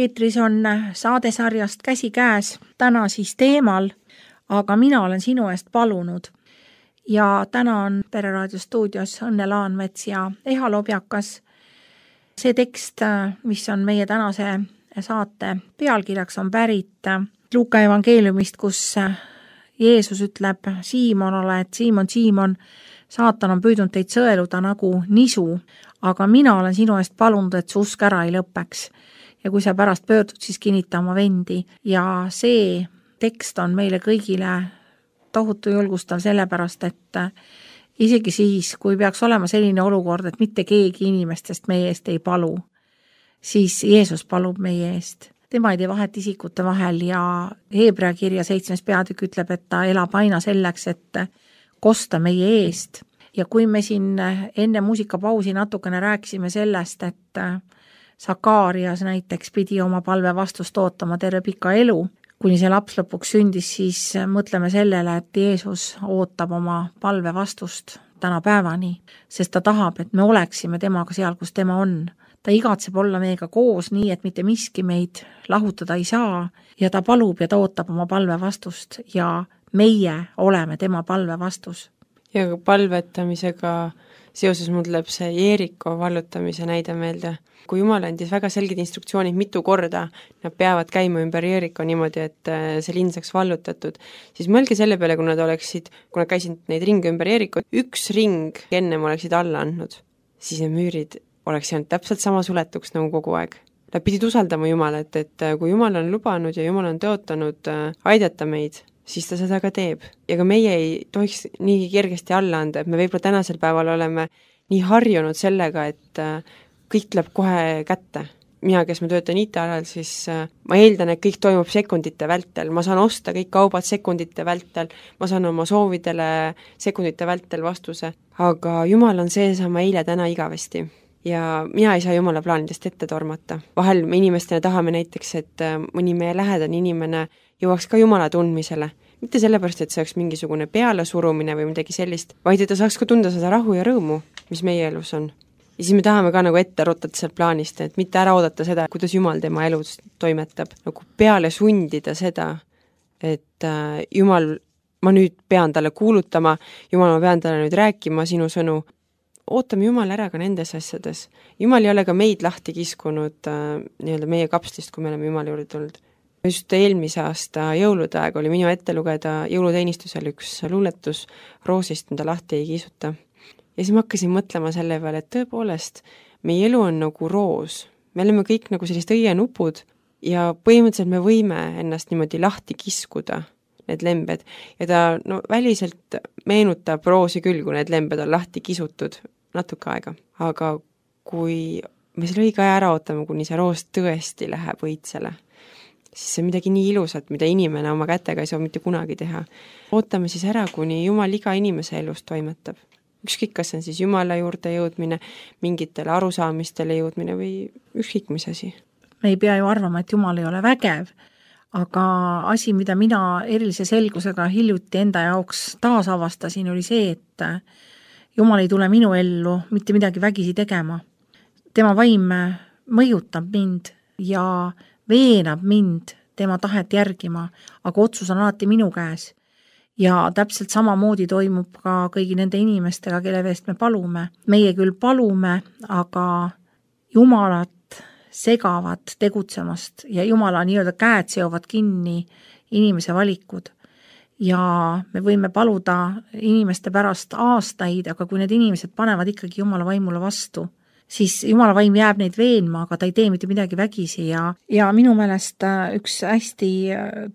eetris on saadesarjast Käsikäes, täna siis teemal Aga mina olen sinu eest palunud. Ja täna on Pereraadio stuudios Õnne Laanmets ja Eha Lobjakas. See tekst, mis on meie tänase saate pealkirjaks, on pärit Luuka evangeeliumist, kus Jeesus ütleb Siimonale, et Siimon, saatan on püüdnud teid sõeluda nagu nisu, aga mina olen sinu eest palunud, et su usk ära ei lõpeks. Ja kui sa pärast pöördud, siis kinnita oma vendi. Ja see tekst on meile kõigile tohutu julgustav sellepärast, et isegi siis, kui peaks olema selline olukord, et mitte keegi inimestest meie eest ei palu, siis Jeesus palub meie eest. Tema ei tee vahet isikute vahel ja Heebrea kirja 7. peatükk ütleb, et ta elab aina selleks, et kosta meie eest. Ja kui me siin enne muusikapausi natukene rääkisime sellest, et Sakarias näiteks pidi oma palve vastust ootama terve pika elu, kuni see laps lõpuks sündis, siis mõtleme sellele, et Jeesus ootab oma palve vastust tänapäevani, sest ta tahab, et me oleksime temaga seal, kus tema on. Ta igatseb olla meiega koos nii, et mitte miski meid lahutada ei saa ja ta palub ja ta ootab oma palve vastust ja meie oleme tema palve vastus. Ja palvetamisega seoses mul tuleb see Jeeriko vallutamise näide meelde. Kui Jumal andis väga selged instruktsioonid mitu korda, nad peavad käima ümber Jeeriko niimoodi, et see linn saaks vallutatud, siis mõelge selle peale, kui nad käisid neid ringe ümber Jeeriko, üks ring ennem oleksid alla andnud, siis need müürid oleks jäänud täpselt sama suletuks nagu kogu aeg. Nad pidid usaldama Jumalat, et kui Jumal on lubanud ja Jumal on tõotanud aidata meid, siis ta seda ka teeb. Ja ka meie ei tohiks nii kergesti alla anda, et me võib-olla tänasel päeval oleme nii harjunud sellega, et kõik tuleb kohe kätte. Mina, kes ma töötan IT-alal, siis ma eeldan, et kõik toimub sekundite vältel. Ma saan osta kõik kaubad sekundite vältel, ma saan oma soovidele sekundite vältel vastuse. Aga Jumal on seesama eile, täna, igavesti. Ja mina ei saa Jumala plaanidest ette tormata. Vahel me inimestena tahame näiteks, et mõni meie lähedane inimene jõuaks ka Jumala tundmisele. Mitte sellepärast, et see oleks mingisugune pealesurumine või midagi sellist, vaid et ta saaks ka tunda seda rahu ja rõõmu, mis meie elus on. Ja siis me tahame ka nagu ette rutata sealt plaanist, et mitte ära oodata seda, kuidas Jumal tema elus toimetab. Nagu peale sundida seda, et Jumal, ma nüüd pean talle kuulutama, Jumal, ma pean talle nüüd rääkima sinu sõnu. Ootame Jumal ära ka nendes asjades. Jumal ei ole ka meid lahti kiskunud nii-öelda meie kapslist, kui me oleme Jumala juurde tulnud. Just eelmise aasta jõulude aeg oli minu ette lugeda jõuluteenistusel üks luuletus roosist, mida lahti ei kisuta. Ja siis ma hakkasin mõtlema selle peale, et tõepoolest, meie elu on nagu roos. Me oleme kõik nagu sellist õienupud ja põhimõtteliselt me võime ennast niimoodi lahti kiskuda, need lembed. Ja ta väliselt meenutab roosi küll, kui need lembed on lahti kisutud natuke aega. Aga kui me selle õige aja ära ootame, kuni see roos tõesti läheb õitsele, siis see on midagi nii ilusat, mida inimene oma kätega ei saa mitte kunagi teha. Ootame siis ära, kuni Jumal iga inimese elust toimetab. Ükskõik, kas on siis Jumala juurde jõudmine, mingitele arusaamistele jõudmine või ükskõik mis asi. Me ei pea ju arvama, et Jumal ei ole vägev, aga asi, mida mina erilise selgusega hiljuti enda jaoks taas avastasin, oli see, et Jumal ei tule minu ellu mitte midagi vägisi tegema. Tema vaim mõjutab mind ja veenab mind tema tahet järgima, aga otsus on alati minu käes. Ja täpselt samamoodi toimub ka kõigi nende inimestega, kelle eest me palume. Meie küll palume, aga Jumalat segavad tegutsemast ja Jumala nii-öelda käed seovad kinni inimese valikud. Ja me võime paluda inimeste pärast aastaid, aga kui need inimesed panevad ikkagi Jumala vaimule vastu, siis Jumala vaim jääb neid veenma, aga ta ei tee mitte midagi vägisi ja minu meelest üks hästi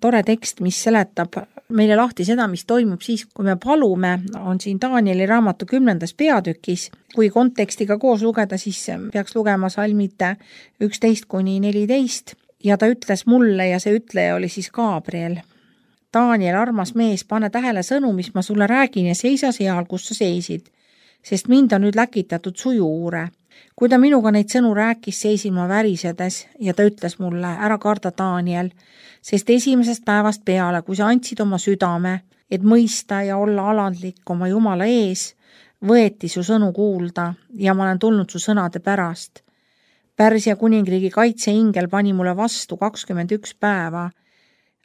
tore tekst, mis seletab meile lahti seda, mis toimub siis, kui me palume, on siin Danieli raamatu 10. peatükis. Kui kontekstiga koos lugeda, siis peaks lugema salmid 11-14 ja ta ütles mulle ja see ütleja oli siis Gabriel. Daniel, armas mees, pane tähele sõnu, mis ma sulle räägin ja seisa seal, kus sa seisid, sest mind on nüüd läkitatud sujuure. Kui ta minuga neid sõnu rääkis, seisin ma värisedes ja ta ütles mulle, ära karda Daniel, sest esimesest päevast peale, kui sa andsid oma südame, et mõista ja olla alandlik oma Jumala ees, võeti su sõnu kuulda ja ma olen tulnud su sõnade pärast. Pärsia kuningriigi kaitseingel pani mulle vastu 21 päeva.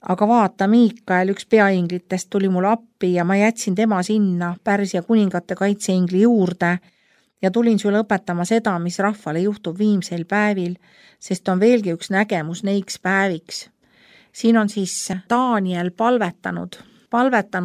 Aga vaata, Miikael, üks peainglitest tuli mulle appi ja ma jätsin tema sinna Pärsia kuningate kaitseingli juurde ja tulin sulle õpetama seda, mis rahvale juhtub viimsel päevil, sest on veelgi üks nägemus neiks päeviks. Siin on siis Daniel palvetanud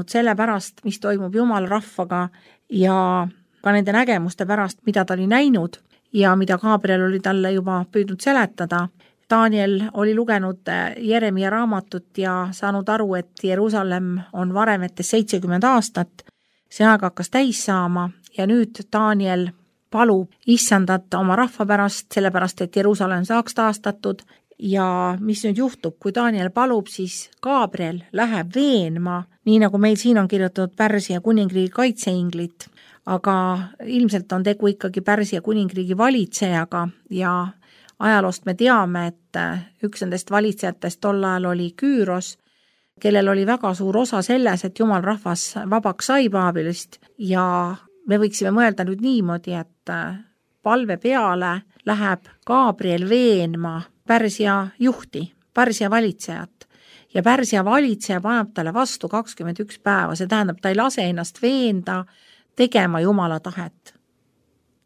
selle pärast, mis toimub Jumala rahvaga ja ka nende nägemuste pärast, mida ta oli näinud ja mida Gabriel oli talle juba püüdnud seletada. Daniel oli lugenud Jeremia raamatut ja saanud aru, et Jeruusalemm on varemetes 70 aastat. See aeg hakkas täis saama ja nüüd Daniel palub issandat oma rahva pärast, sellepärast et Jeruusalemm saaks taastatud. Ja mis nüüd juhtub, kui Daniel palub, siis Gabriel läheb veenma, nii nagu meil siin on kirjutatud Pärsia kuningriigi kaitseinglit, aga ilmselt on tegu ikkagi Pärsia kuningriigi valitsejaga ja ajaloost me teame, et üks nendest valitsejatest tol ajal oli Küüros, kellel oli väga suur osa selles, et Jumal rahvas vabaks sai Baabilist ja me võiksime mõelda nüüd niimoodi, et palve peale läheb Gabriel veenma Pärsia juhti, Pärsia valitsejat ja Pärsia valitseja paneb talle vastu 21 päeva, see tähendab, ta ei lase ennast veenda tegema Jumala tahet.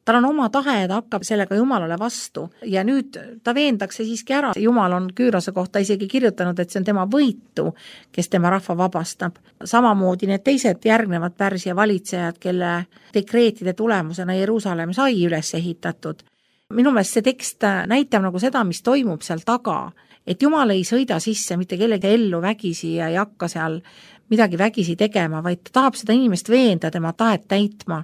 Tal on oma tahe ja ta hakkab sellega Jumalale vastu ja nüüd ta veendakse siiski ära. Jumal on Küürose kohta isegi kirjutanud, et see on tema võitu, kes tema rahva vabastab. Samamoodi need teised järgnevad Pärsia valitsejad, kelle dekreetide tulemusena Jeruusalemm sai üles ehitatud. Minu meelest see tekst näitab nagu seda, mis toimub seal taga, et Jumal ei sõida sisse mitte kellegi ellu vägisi ja ei hakka seal midagi vägisi tegema, vaid ta tahab seda inimest veenda tema tahet täitma.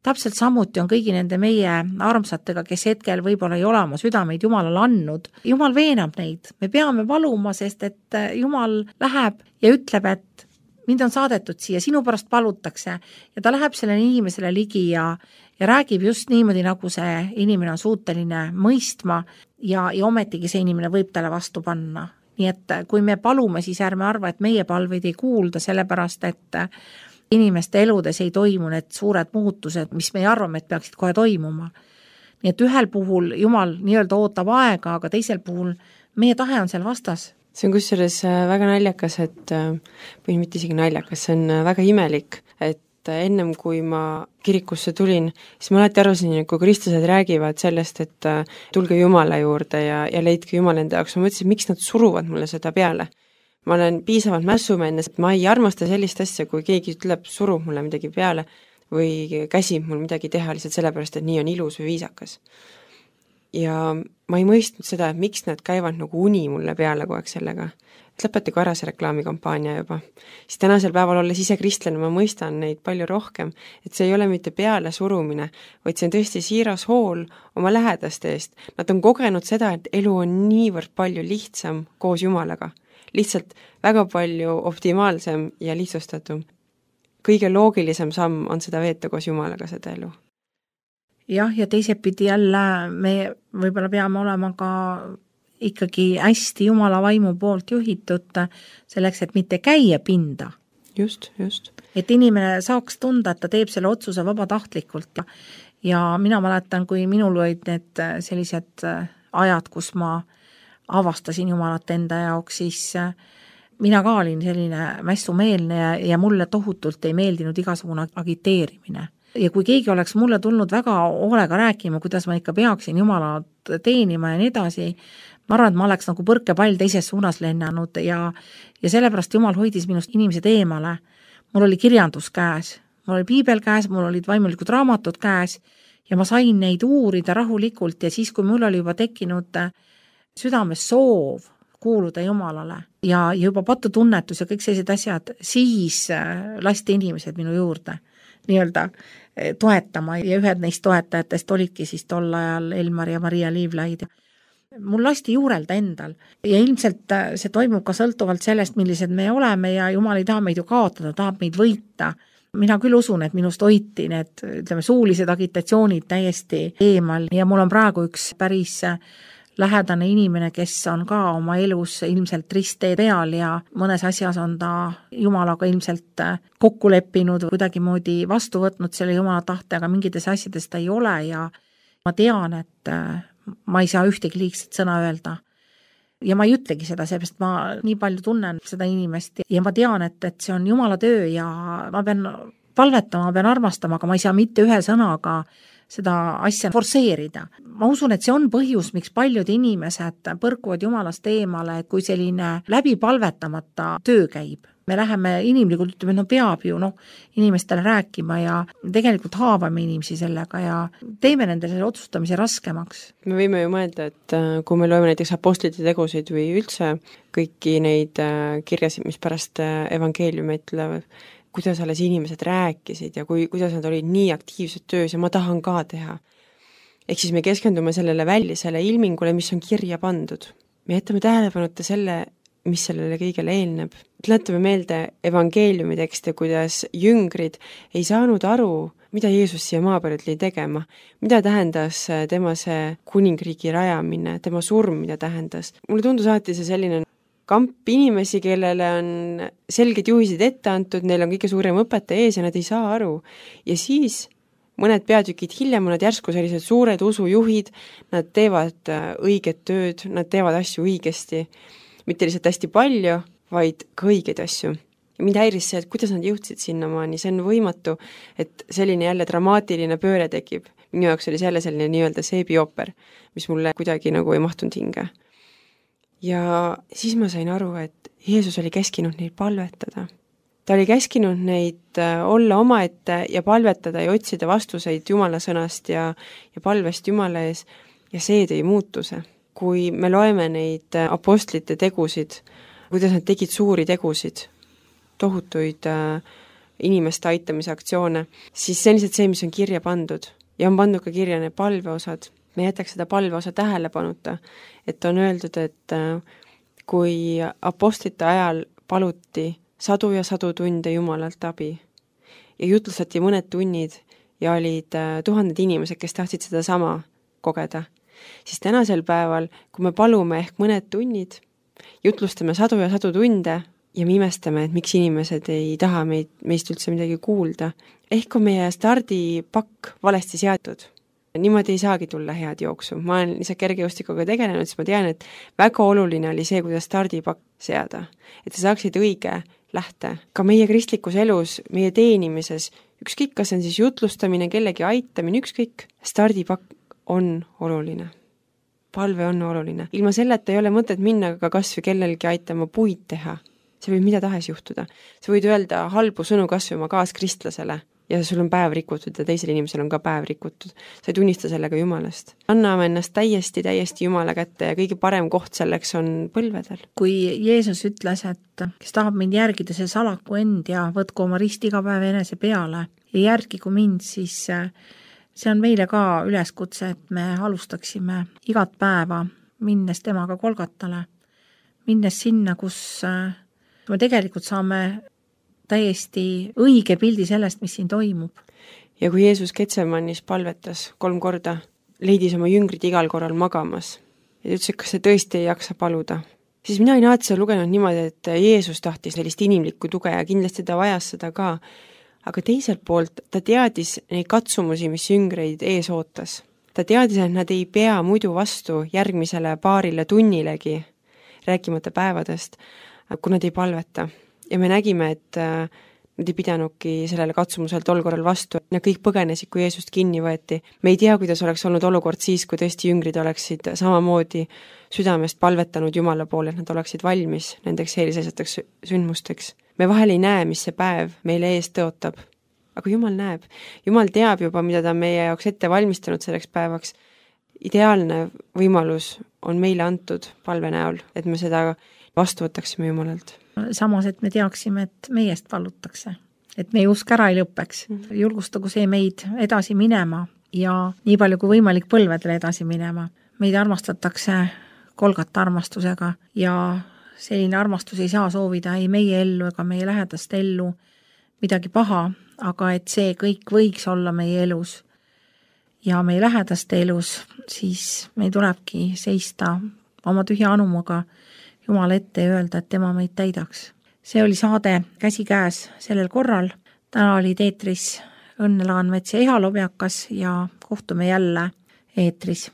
Täpselt samuti on kõigi nende meie armsatega, kes hetkel võib-olla ei ole oma südameid Jumalale andnud. Jumal veenab neid. Me peame valuma, sest et Jumal läheb ja ütleb, et mind on saadetud siia, sinu pärast palutakse ja ta läheb sellele inimesele ligi ja räägib just niimoodi, nagu see inimene on suuteline mõistma ja ometigi see inimene võib talle vastu panna. Nii et kui me palume, siis ärme arva, et meie palveid ei kuulda, sellepärast et inimeste eludes ei toimu need suured muutused, mis me arvame, et peaksid kohe toimuma. Nii et ühel puhul Jumal nii-öelda ootab aega, aga teisel puhul meie tahe on seal vastas. See on kusjuures väga naljakas, või mitte isegi naljakas, see on väga imelik, et ennem kui ma kirikusse tulin, siis ma alati arvasin, kui kristlased räägivad sellest, et tulge Jumala juurde ja leidke Jumal enda jaoks, ma mõtlesin, miks nad suruvad mulle seda peale. Ma olen piisavalt mässumeelne, et ma ei armasta sellist asja, kui keegi ütleb, surub mulle midagi peale või käsib mul midagi teha lihtsalt sellepärast, et nii on ilus või viisakas. Ja ma ei mõistnud seda, et miks nad käivad nagu uni mulle peale kogu aeg sellega. Et lõpetage ära see reklaamikampaania juba. Siis tänasel päeval olles ise kristlane, ma mõistan neid palju rohkem, et see ei ole mitte peale surumine, vaid see on tõesti siiras hool oma lähedaste eest. Nad on kogenud seda, et elu on niivõrd palju lihtsam koos Jumalaga. Lihtsalt väga palju optimaalsem ja lihtsustatum. Kõige loogilisem samm on seda veeta koos Jumalaga seda elu. Jah, ja teisepidi jälle me võib-olla peame olema ka ikkagi hästi Jumala vaimu poolt juhitud selleks, et mitte käia pinda. Just. Et inimene saaks tunda, et ta teeb selle otsuse vabatahtlikult. Ja mina mäletan, kui minul olid need sellised ajad, kus ma avastasin Jumalat enda jaoks, siis mina ka olin selline mässumeelne ja mulle tohutult ei meeldinud igasugune agiteerimine. Ja kui keegi oleks mulle tulnud väga hoolega rääkima, kuidas ma ikka peaksin Jumalat teenima ja nii edasi, ma arvan, et ma oleks nagu põrkepall teises suunas lennanud ja sellepärast Jumal hoidis minust inimesed eemale. Mul oli kirjandus käes, mul oli piibel käes, mul olid vaimulikud raamatud käes ja ma sain neid uurida rahulikult ja siis, kui mul oli juba tekkinud südames soov kuuluda Jumalale ja juba patutunnetus ja kõik sellised asjad, siis lasti inimesed minu juurde nii-öelda toetama ja ühed neist toetajatest olidki siis tol ajal Elmar ja Maria Liivlaid. Mul lasti juurelda endal ja ilmselt see toimub ka sõltuvalt sellest, millised me oleme ja Jumal ei taha meid ju kaotada, tahab meid võita. Mina küll usun, et minust hoiti need, ütleme, suulised agitatsioonid täiesti eemal ja mul on praegu üks päris lähedane inimene, kes on ka oma elus ilmselt risttee peal ja mõnes asjas on ta Jumalaga ilmselt kokku leppinud, kuidagimoodi vastu võtnud selle Jumala tahte, aga mingites asjades ta ei ole ja ma tean, et ma ei saa ühtegi liigset sõna öelda. Ja ma ei ütlegi seda, seepärast ma nii palju tunnen seda inimest ja ma tean, et see on Jumala töö ja ma pean palvetama, ma pean armastama, aga ma ei saa mitte ühe sõnaga seda asja forseerida. Ma usun, et see on põhjus, miks paljud inimesed põrkuvad Jumalast eemale, et kui selline läbi palvetamata töö käib. Me läheme inimlikult, ütleme, no peab ju inimestele rääkima ja tegelikult haavame inimesi sellega ja teeme nendele selle otsustamise raskemaks. Me võime ju mõelda, et kui me loeme näiteks apostlite tegusid või üldse kõiki neid kirjasid, mis pärast evangeeliumi ütlevad, kuidas alles inimesed rääkisid ja kuidas nad olid nii aktiivsed töös ja ma tahan ka teha. Ehk siis me keskendume sellele välisele ilmingule, mis on kirja pandud. Me jätame tähelepanuta selle, mis sellele kõigele eelneb. Tuletame meelde evangeeliumi tekste, kuidas jüngrid ei saanud aru, mida Jeesus siia maa peale tuli tegema, mida tähendas tema see kuningriigi rajamine, tema surm, mida tähendas. Mulle tundus alati see selline kamp inimesi, kellele on selged juhised ette antud, neil on kõige suurem õpetaja ees ja nad ei saa aru. Ja siis mõned peatükid hiljem on nad järsku sellised suured usujuhid, nad teevad õiget tööd, nad teevad asju õigesti, mitte lihtsalt hästi palju, vaid ka õigeid asju. Ja mind häiris see, et kuidas nad jõudsid sinnamaani, see on võimatu, et selline jälle dramaatiline pööre tekib. Minu jaoks oli jälle selline nii-öelda seebioper, mis mulle kuidagi nagu ei mahtunud hinge. Ja siis ma sain aru, et Jeesus oli käskinud neid palvetada. Ta oli käskinud neid olla omaette ja palvetada ja otsida vastuseid Jumala sõnast ja palvest Jumala ees ja see tõi muutuse. Kui me loeme neid apostlite tegusid, kuidas nad tegid suuri tegusid, tohutuid inimeste aitamise aktsioone, siis see on lihtsalt see, mis on kirja pandud ja on pandud ka kirja need palveosad. Me jätaks seda palveosa tähelepanuta, et on öeldud, et kui apostlite ajal paluti sadu ja sadu tunde Jumalalt abi ja jutlustati mõned tunnid ja olid tuhanded inimesed, kes tahtsid seda sama kogeda, siis tänasel päeval, kui me palume ehk mõned tunnid, jutlustame sadu ja sadu tunde ja me imestame, et miks inimesed ei taha meist üldse midagi kuulda. Ehk on meie stardipakk valesti seatud. Niimoodi ei saagi tulla head jooksu. Ma olen lihtsalt kergejõustikuga tegelenud, siis ma tean, et väga oluline oli see, kuidas stardipakk seada. Et sa saaksid õige lähte. Ka meie kristlikus elus, meie teenimises, ükskõik, kas on siis jutlustamine, kellegi aitamine, ükskõik, stardipakk on oluline. Palve on oluline. Ilma selleta ei ole mõtet minna ka kas või kellelgi aitama puid teha. See võib mida tahes juhtuda. Sa võid öelda halbu sõnu kas või oma kaaskristlasele ja sul on päev rikutud ja teisel inimesel on ka päev rikutud. Sa ei tunnista sellega Jumalast. Anname ennast täiesti Jumala kätte ja kõige parem koht selleks on põlvedel. Kui Jeesus ütles, et kes tahab mind järgida, see salaku end ja võtku oma rist iga päev enese peale ja järgigu mind, siis see on meile ka üleskutse, et me alustaksime igat päeva minnes temaga Golgatale, minnes sinna, kus me tegelikult saame täiesti õige pildi sellest, mis siin toimub. Ja kui Jeesus Getsemanis palvetas 3 korda, leidis oma jüngrid igal korral magamas ja ütles, et kas see tõesti ei jaksa paluda, siis mina ei näe seda lugenud niimoodi, et Jeesus tahtis sellist inimlikku tuge ja kindlasti ta vajas seda ka. Aga teiselt poolt ta teadis neid katsumusi, mis jüngreid ees ootas. Ta teadis, et nad ei pea muidu vastu järgmisele paarile tunnilegi, rääkimata päevadest, kui nad ei palveta. Ja me nägime, et nad ei pidanudki sellele katsumusel tol korral vastu. Nad kõik põgenesid, kui Jeesust kinni võeti. Me ei tea, kuidas oleks olnud olukord siis, kui tõesti jüngrid oleksid samamoodi südamest palvetanud Jumala poole, et nad oleksid valmis nendeks eelisesjateks sündmusteks. Me vahel ei näe, mis see päev meile ees tõotab. Aga Jumal näeb. Jumal teab juba, mida ta meie jaoks ette valmistanud selleks päevaks. Ideaalne võimalus on meile antud palve näol, et me seda vastu võtaksime Jumalalt. Samas, et me teaksime, et meiest palutakse. Et meie usk ära ei lõpeks. Julgustagu see meid edasi minema ja nii palju kui võimalik põlvedele edasi minema. Meid armastatakse Golgata armastusega ja selline armastus ei saa soovida ei meie ellu ega meie lähedaste ellu midagi paha, aga et see kõik võiks olla meie elus ja meie lähedaste elus, siis meil tulebki seista oma tühja anumuga Jumala ette ja öelda, et tema meid täidaks. See oli saade Käsikäes sellel korral. Täna oli eetris Õnne Laanmets ja Eha Lobjakas ja kohtume jälle eetris.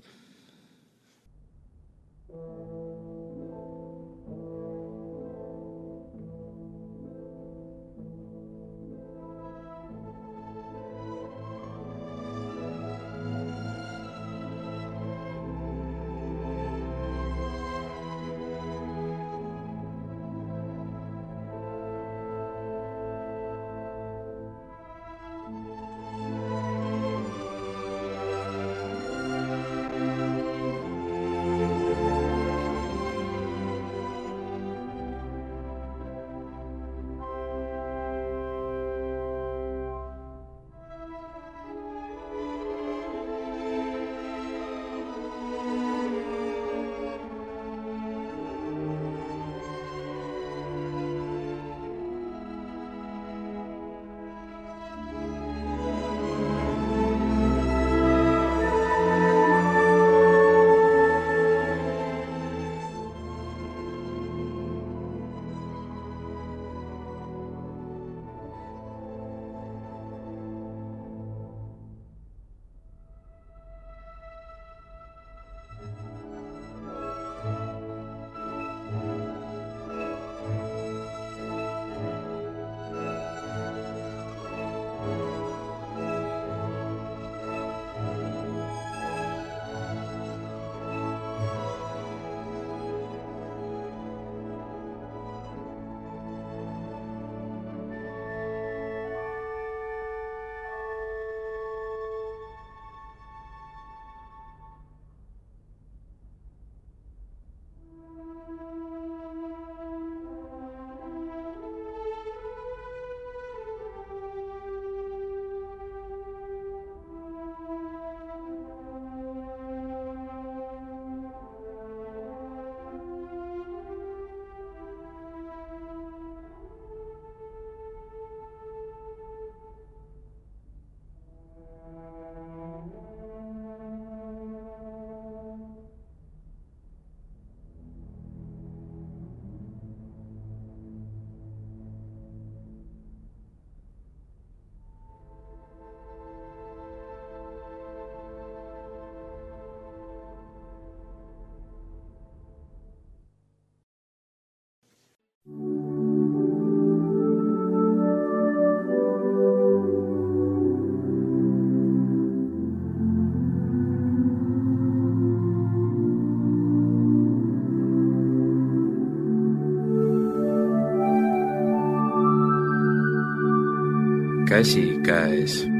käsikäes.